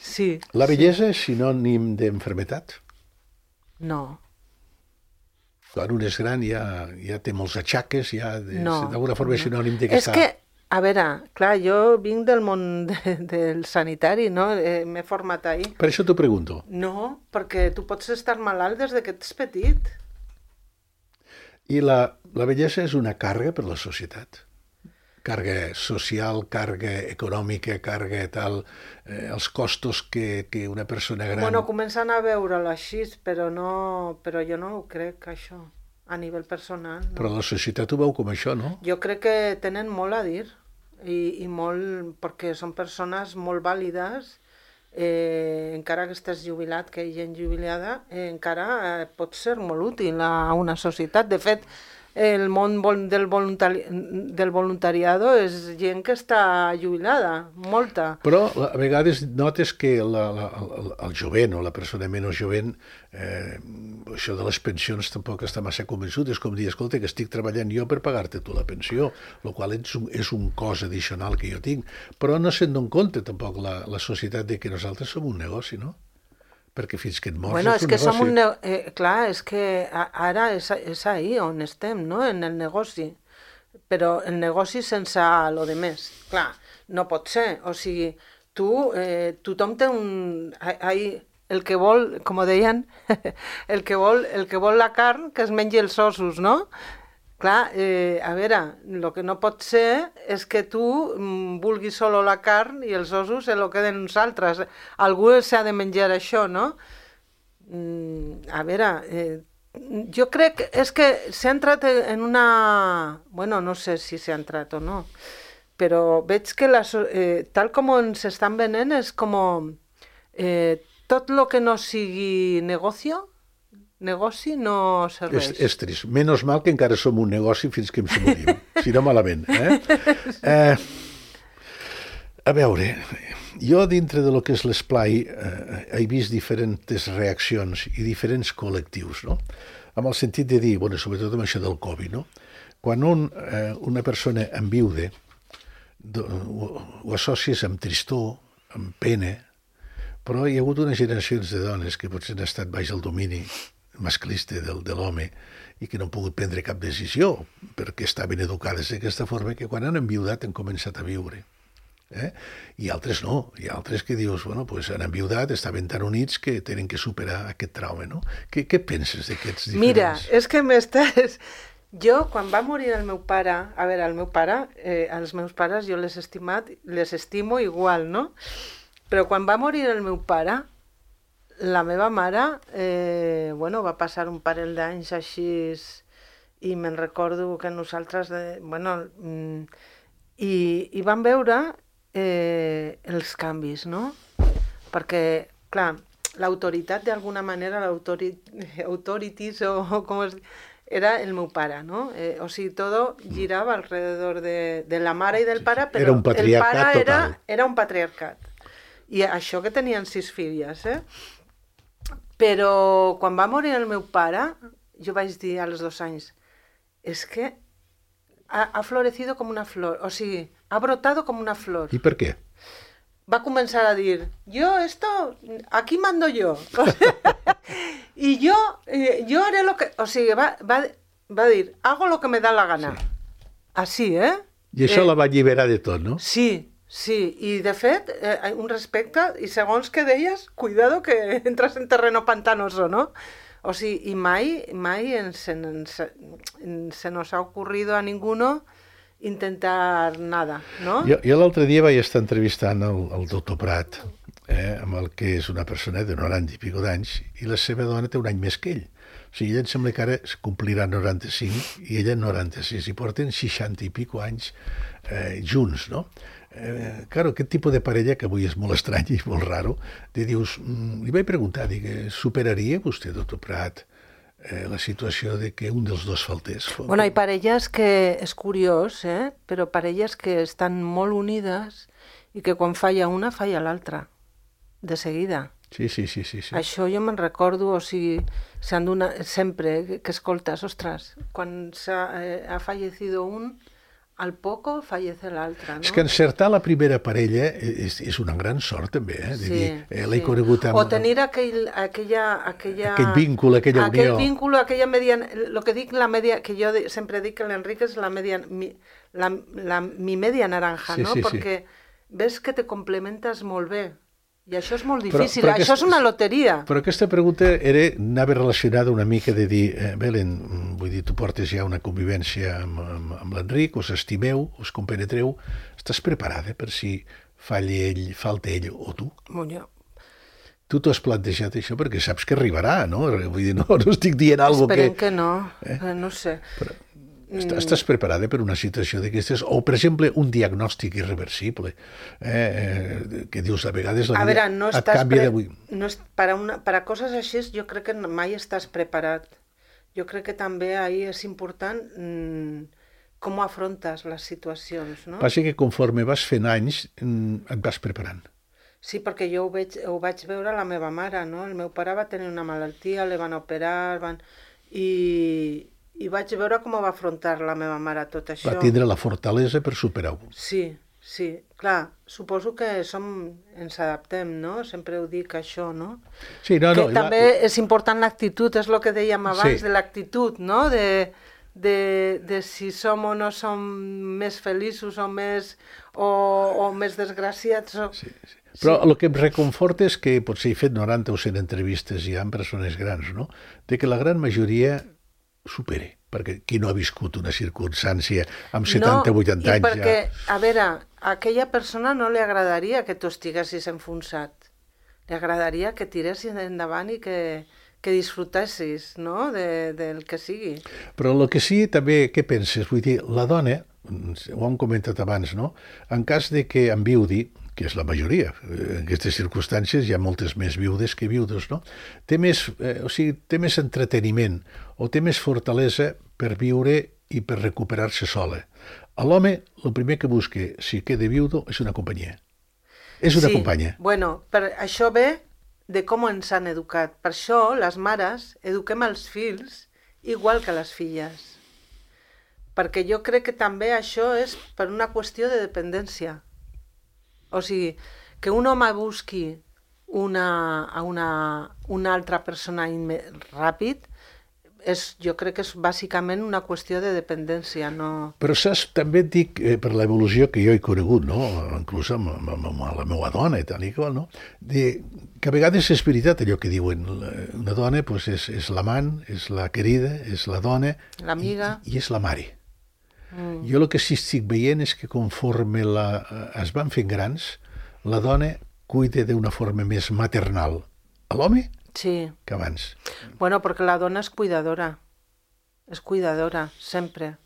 Sí. La bellesa és sinònim d'enfermetat? No. Quan un és gran ja té molts atxaques, d'alguna forma és sinònim de que És que, a veure, clar, jo vinc del món del sanitari, no? M'he format ahí. Per això t'ho pregunto. No, perquè tu pots estar malalt des que ets petit. I la bellesa és una càrrega per la societat? Càrrega social, càrrega econòmica, càrrega tal, els costos que una persona gran... Bueno, comencen a veure-la així, però jo no ho crec, això, a nivell personal. No. Però la societat ho veu com això, no? Jo crec que tenen molt a dir, i molt, perquè són persones molt vàlides, encara que estàs jubilat, que hi ha gent jubilada, encara pot ser molt útil a una societat. De fet, el món del voluntariado és gent que està jubilada, molta. Però a vegades notes que el jovent o la persona menys jovent, això de les pensions tampoc està massa convençut. És com dir, escolta, que estic treballant jo per pagar-te tu la pensió, el qual és un cost addicional que jo tinc. Però no se'n dona compte tampoc la societat de que nosaltres som un negoci, no? Perquè fins que et mors és un negoci. Clar, és que ara és ahí on estem, no? En el negoci. Però el negoci sense lo de més. Clar, no pot ser. O sigui, tothom té el que vol, com deien, el que vol la carn, que es mengi els ossos, no? Clar, a veure, el que no pot ser és que tu vulguis solo la carn i els ossos se lo queden uns altres. Algú s'ha de menjar això, no? A veure, jo crec és que s'ha entrat en una... Bueno, no sé si s'ha entrat o no, però veig que tal com ens estan venent és com tot el que no sigui negoci no serveix. És trist. Menys mal que encara som un negoci fins que ens morim. Si no, malament. A veure, jo dintre de lo que és l'esplai he vist diferents reaccions i diferents col·lectius, no? Amb el sentit de dir, bueno, sobretot amb això del Covid, no? Quan una persona enviuda ho associes amb tristor, amb pena, però hi ha hagut unes generacions de dones que potser han estat baix el domini masclista de l'home i que no han pogut prendre cap decisió perquè estaven educades d'aquesta forma que quan han enviudat han començat a viure. I altres no, hi ha altres que dius, bueno, pues han enviudat, estaven tan units que tenen que superar aquest trauma, no? Què penses d'aquests diferents? Mira, és que m'estàs... Jo, quan va morir el meu pare, a veure, el meu pare, els meus pares jo les estimo igual, no? Però quan va morir el meu pare, la meva mare, va passar un parell d'anys així i me'n recordo que nosaltres, i vam veure els canvis, no? Perquè, clar, l'autoritat d'alguna manera, l'autorities o com es diu, era el meu pare, no? O sigui, tot girava alrededor de la mare i del pare, però era un patriarcat el pare total. era un patriarcat. I això que tenien 6 filles, Però quan va morir el meu pare, jo vaig dir als 2 anys, és que ha florecido com una flor, o sigui, ha brotado com una flor. I per què? Va començar a dir, aquí mando yo. Y yo haré lo que... O sigui, va dir, hago lo que me da la gana. Sí. Así, I això la va alliberar de tot, no? Sí, i de fet, un respecte, i segons que deies, cuidado que entras en terreno pantanoso, ¿no? O sigui, i mai se nos ha ocurrido a ninguno intentar nada, no? Jo l'altre dia vaig estar entrevistant el doctor Prat, amb el que és una persona de 90 i pico d'anys, i la seva dona té un any més que ell. O sigui, ella em sembla que ara complirà 95 i ella 96, i porten 60 i pico anys junts, no? Claro, aquest tipus de parella, que avui és molt estrany i molt raro, dius, li vaig preguntar, superaria vostè, doctor Prat, la situació de que un dels dos faltés? Bueno, hay parelles que, és curiós, però parelles que estan molt unides i que quan falla una, falla l'altra, de seguida. Sí. Això jo me'n recordo, o sigui, sempre que escoltes, ostres, quan ha fallecido un, al poco fallece l'altre, no? És que encertar la primera parella és una gran sort, també, Sí. L'he conegut amb... O tenir aquell vínculo, aquella unió. Aquell vínculo, aquella mediana... El que dic, la media... Que jo sempre dic que l'Enrique és la media... mi media naranja, Sí, no? sí, Perquè ves que te complementes molt bé. I això és molt difícil, però això és una loteria. Però aquesta pregunta anava relacionada una mica de dir, Belén, vull dir, tu portes ja una convivència amb l'Enric, us estimeu, us compenetreu, estàs preparada per si falta ell o tu? Bueno, Tu t'ho has plantejat això perquè saps que arribarà, no? Vull dir, no estic dient alguna cosa esperem que no, no sé. Però estàs preparada per una situació d'aquestes? O, per exemple, un diagnòstic irreversible, que dius, a vegades la vida et canvia d'avui. Per a coses així, jo crec que mai estàs preparat. Jo crec que també ahí és important com afrontes les situacions, no? Passa que conforme vas fent anys et vas preparant. Sí, perquè jo ho vaig veure a la meva mare, no? El meu pare va tenir una malaltia, le van operar, i vaig veure com va afrontar la meva mare tot això. Va tindre la fortalesa per superar-ho. Sí, clar, suposo que ens adaptem, no? Sempre ho dic, això, no? Sí, no, que també és important l'actitud, és el que dèiem abans, de l'actitud, no? De si som o no som més feliços o més desgraciats. Sí. Però el que em reconforta és que potser he fet 90 o 100 entrevistes ja amb persones grans, no? De que la gran majoria supere. perquè qui no ha viscut una circumstància amb 70-80 anys perquè, a veure, a aquella persona no li agradaria que tu estiguessis enfonsat. Li agradaria que tiressis endavant i que disfrutessis, no?, del que sigui. Però el que sí, també, què penses? Vull dir, la dona, ho hem comentat abans, no? En cas de que enviudi, que és la majoria, en aquestes circumstàncies hi ha moltes més viudes que viudos, no? Té més entreteniment o té més fortalesa per viure i per recuperar-se sola. A l'home, el primer que busca, si queda viudo, és una companyia. És una companya. Bueno, per això ve de com ens han educat. Per això, les mares, eduquem els fills igual que les filles. Perquè jo crec que també això és per una qüestió de dependència. O sigui, que un home busqui una altra persona ràpid, jo crec que és bàsicament una qüestió de dependència. No... Però saps, també et dic, per l'evolució que jo he conegut, no? Inclús amb la meva dona i tal i qual, no? Que a vegades és veritat allò que diuen, una dona pues, és l'amant, és la querida, és la dona, l'amiga i és la mare. Jo el que sí estic veient és que conforme es van fent grans, la dona cuida d'una forma més maternal a l'home que abans. Bueno, perquè la dona és cuidadora, sempre.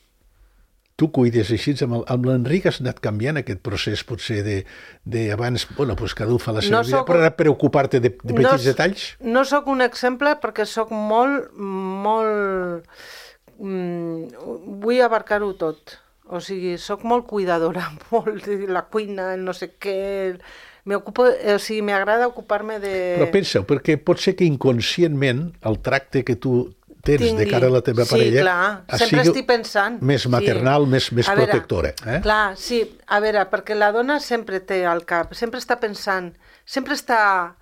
Tu cuides així, amb l'Enric has anat canviant aquest procés potser d'abans, bueno, pues cada un fa la seva vida, però ara preocupar-te de petits detalls? No sóc un exemple perquè sóc molt vull abarcar-ho tot. O sigui, sóc molt cuidadora, molt de la cuina, el no sé què... m'agrada ocupar-me de... Però pensa-ho, perquè pot ser que inconscientment el tracte que tu tens de cara a la teva parella... Sí, clar, sempre estic pensant. Més maternal, més protectora. Clar, sí, a veure, perquè la dona sempre té al cap, sempre està pensant, sempre està...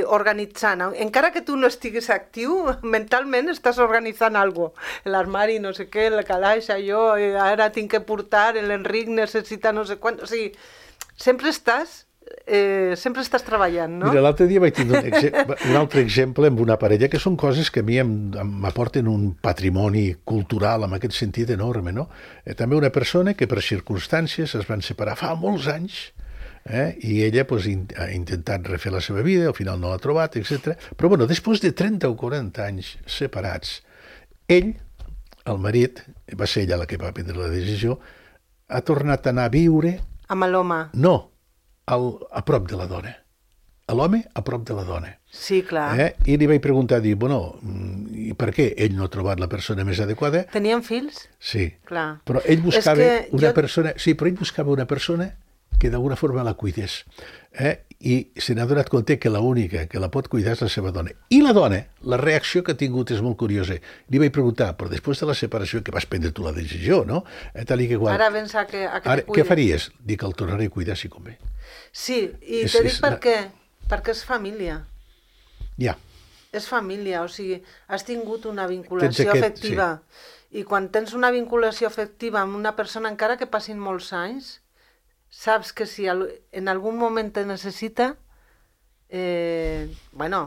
organitzant, encara que tu no estiguis actiu, mentalment estàs organitzant alguna cosa. L'armari, no sé què, el calaix, allò, ara tinc que portar, l'Enric necessita no sé quant... O sigui, sempre estàs treballant, no? Mira, l'altre dia vaig tenir un altre exemple amb una parella, que són coses que a mi m'aporten un patrimoni cultural en aquest sentit enorme, no? També una persona que per circumstàncies es van separar fa molts anys, i ella pues, ha intentat refer la seva vida, al final no l'ha trobat, etc. Però bueno, després de 30 o 40 anys separats, ell, el marit, va ser ella la que va prendre la decisió, ha tornat a anar a viure... Amb l'home? No, a prop de la dona. A l'home a prop de la dona. Sí, clar. I li vaig preguntar, bueno, i per què ell no ha trobat la persona més adequada? Tenien fills? Sí. Clar. Però ell buscava persona... Sí, però ell buscava una persona que d'alguna forma la cuidés. I se n'ha donat compte que l'única que la pot cuidar és la seva dona. I la dona, la reacció que ha tingut és molt curiosa. Li vaig preguntar, però després de la separació que vas prendre tu la decisió, no? Tal i que igual. Ara vens a que te cuide. Què faries? Dic, el tornaré a cuidar si convé. Sí, i te dic per què. Perquè és família. Ja. És família, o sigui, has tingut una vinculació afectiva. Sí. I quan tens una vinculació afectiva amb una persona, encara que passin molts anys, saps que si en algun moment te necessita, bueno,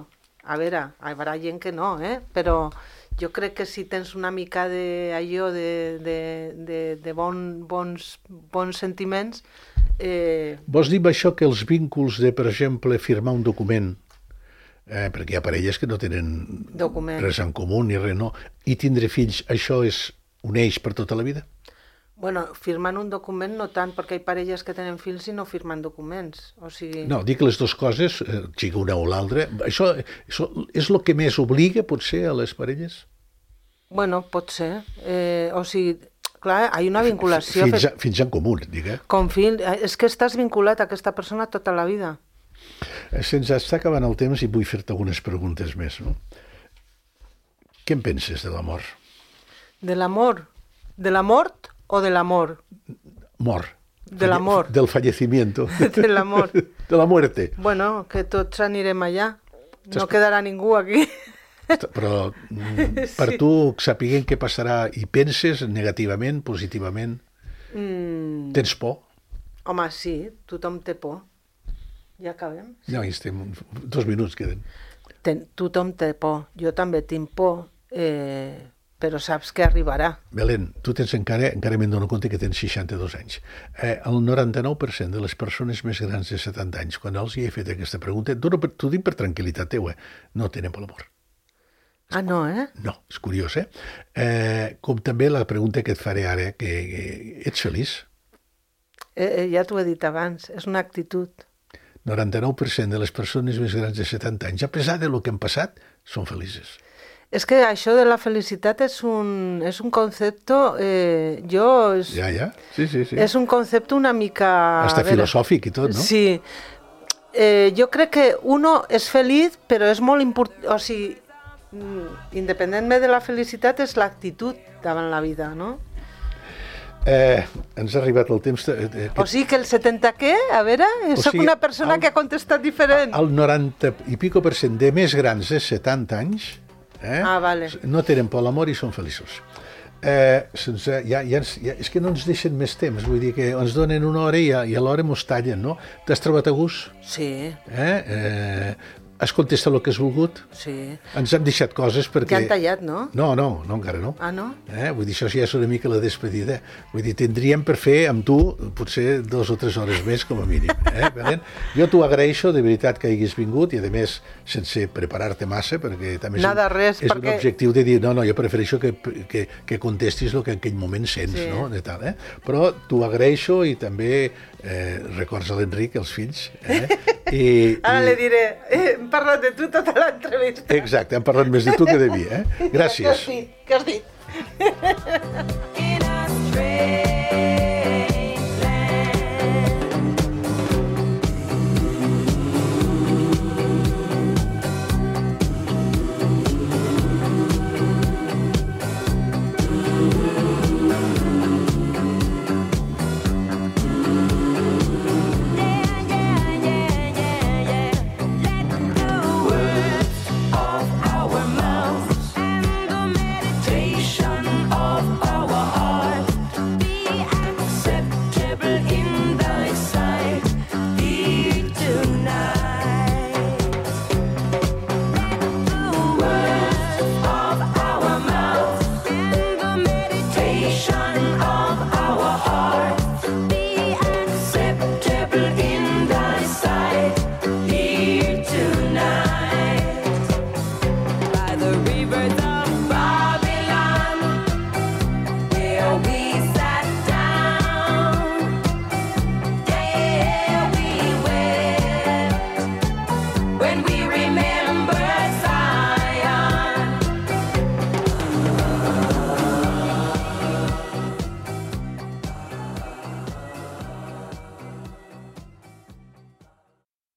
a veure, hi haurà gent que no, però jo crec que si tens una mica d'allò de bons sentiments... Vols dir amb això que els vínculs de, per exemple, firmar un document, perquè hi ha parelles que no tenen res en comú ni res, no, i tindre fills, això uneix per tota la vida? Bueno, firmant un document no tant, perquè hi ha parelles que tenen fills i no firmen documents. O sigui... No, dic les dues coses, sigui una o l'altra. Això és el que més obliga, potser, a les parelles? Bueno, pot ser. O sigui, clar, hi ha una vinculació... Fins en comú, digue. Com fill, és que estàs vinculat a aquesta persona tota la vida. Se'ns està acabant el temps i vull fer-te algunes preguntes més, no? Què en penses de l'amor? De l'amor? De la mort o de l'amor? Mort. De l'amor. Del fallecimiento. De l'amor. De la muerte. Bueno, que tots anirem allà. No quedarà ningú aquí. Però per tu, sapiguent què passarà, i penses negativament, positivament? Tens por? Home, sí, tothom té por. Ja acabem? No, estem... 2 minuts queden. Tothom té por. Jo també tinc por, però saps que arribarà. Belén, tu tens encara me'n dono compte que tens 62 anys. El 99% de les persones més grans de 70 anys, quan els hi he fet aquesta pregunta, t'ho dic per tranquil·litat teua, no tenen per l'amor. Ah, no, No, és curiós, com també la pregunta que et faré ara, que ets feliç? Ja t'ho he dit abans, és una actitud. 99% de les persones més grans de 70 anys, a pesar de lo que han passat, són felices. És que això de la felicitat és un concepte, Ja, sí. És un concepte una mica... Hasta filosòfic i tot, no? Sí. Jo crec que uno és feliç, però és molt important... O sigui, independentment de la felicitat, és l'actitud davant la vida, no? Ens ha arribat el temps... O sigui que el 70 què? A veure, soc una persona que ha contestat diferent. El 90 i pico % de més grans de 70 anys vale. No tenen por a l'amor i són feliços. És que no ens deixen més temps, vull dir que ens donen una hora i a l'hora mos tallen, no? T'has trobat a gust? Sí. Has contestat el que has volgut? Sí. Ens han deixat coses perquè... Ja han tallat, no? No, encara no. Ah, no? Vull dir, això ja és una mica la despedida. Vull dir, tindríem per fer amb tu potser 2 o 3 hores més, com a mínim. Belén? Jo t'ho agraeixo, de veritat, que hagis vingut, i a més, sense preparar-te massa, perquè també és un objectiu de dir, no, jo prefereixo que contestis el que en aquell moment sents, no? De tal, Però t'ho agraeixo i també records a l'Enric, els fills. Ara li diré, hem parlat de tu tota l'entrevista. Exacte, hem parlat més de tu que de mi. Gràcies. Què has dit?